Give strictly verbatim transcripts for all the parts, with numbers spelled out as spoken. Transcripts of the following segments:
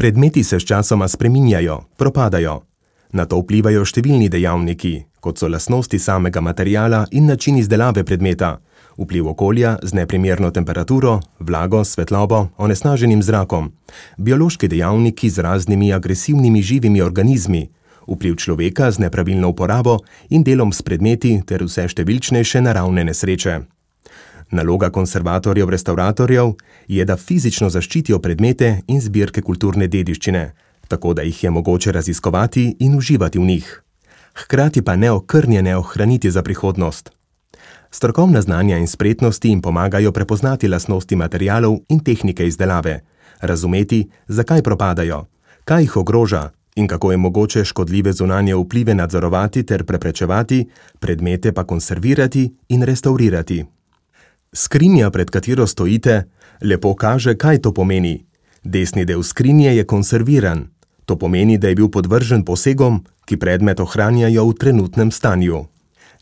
Predmeti se sčasoma spreminjajo, propadajo. Na to vplivajo številni dejavniki, kot so lastnosti samega materiala in način izdelave predmeta, vpliv okolja z neprimerno temperaturo, vlago, svetlobo, onesnaženim zrakom, biološki dejavniki z raznimi agresivnimi živimi organizmi, vpliv človeka z nepravilno uporabo in delom s predmeti ter vse številčnejše naravne nesreče. Naloga konservatorjev restauratorjev je, da fizično zaščitijo predmete in zbirke kulturne dediščine, tako da jih je mogoče raziskovati in uživati v njih. Hkrati pa neokrnjene ohraniti za prihodnost. Strokovna znanja in spretnosti jim pomagajo prepoznati lastnosti materialov in tehnike izdelave, razumeti, zakaj propadajo, kaj jih ogroža in kako je mogoče škodljive zunanje vplive nadzorovati ter preprečevati, predmete pa konservirati in restavrirati. Skrinja, pred katero stojite, lepo kaže, kaj to pomeni. Desni del skrinje je konserviran. To pomeni, da je bil podvržen posegom, ki predmet ohranjajo v trenutnem stanju.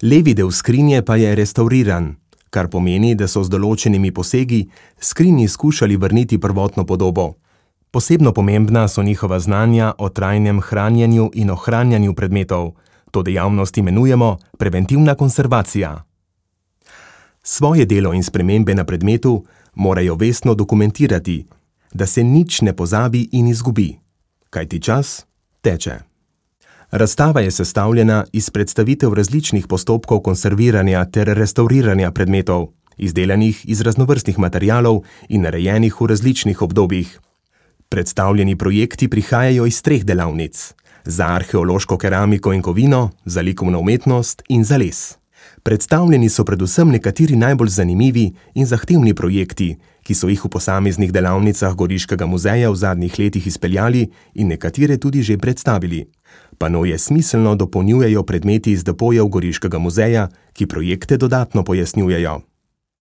Levi del skrinje pa je restauriran, kar pomeni, da so z določenimi posegi skrinji skušali vrniti prvotno podobo. Posebno pomembna so njihova znanja o trajnem hranjenju in ohranjanju predmetov. To dejavnost imenujemo preventivna konservacija. Svoje delo in spremembe na predmetu morajo vestno dokumentirati, da se nič ne pozabi in izgubi, kajti čas teče. Razstava je sestavljena iz predstavitev različnih postopkov konserviranja ter restauriranja predmetov, izdelanih iz raznovrstnih materialov in narejenih v različnih obdobjih. Predstavljeni projekti prihajajo iz treh delavnic: za arheološko keramiko in kovino, za likovno umetnost in za les. Predstavljeni so predvsem nekateri najbolj zanimivi in zahtevni projekti, ki so jih v posameznih delavnicah Goriškega muzeja v zadnjih letih izpeljali in nekatere tudi že predstavili. Panoje smiselno dopolnjujejo predmeti iz depojev Goriškega muzeja, ki projekte dodatno pojasnjujejo.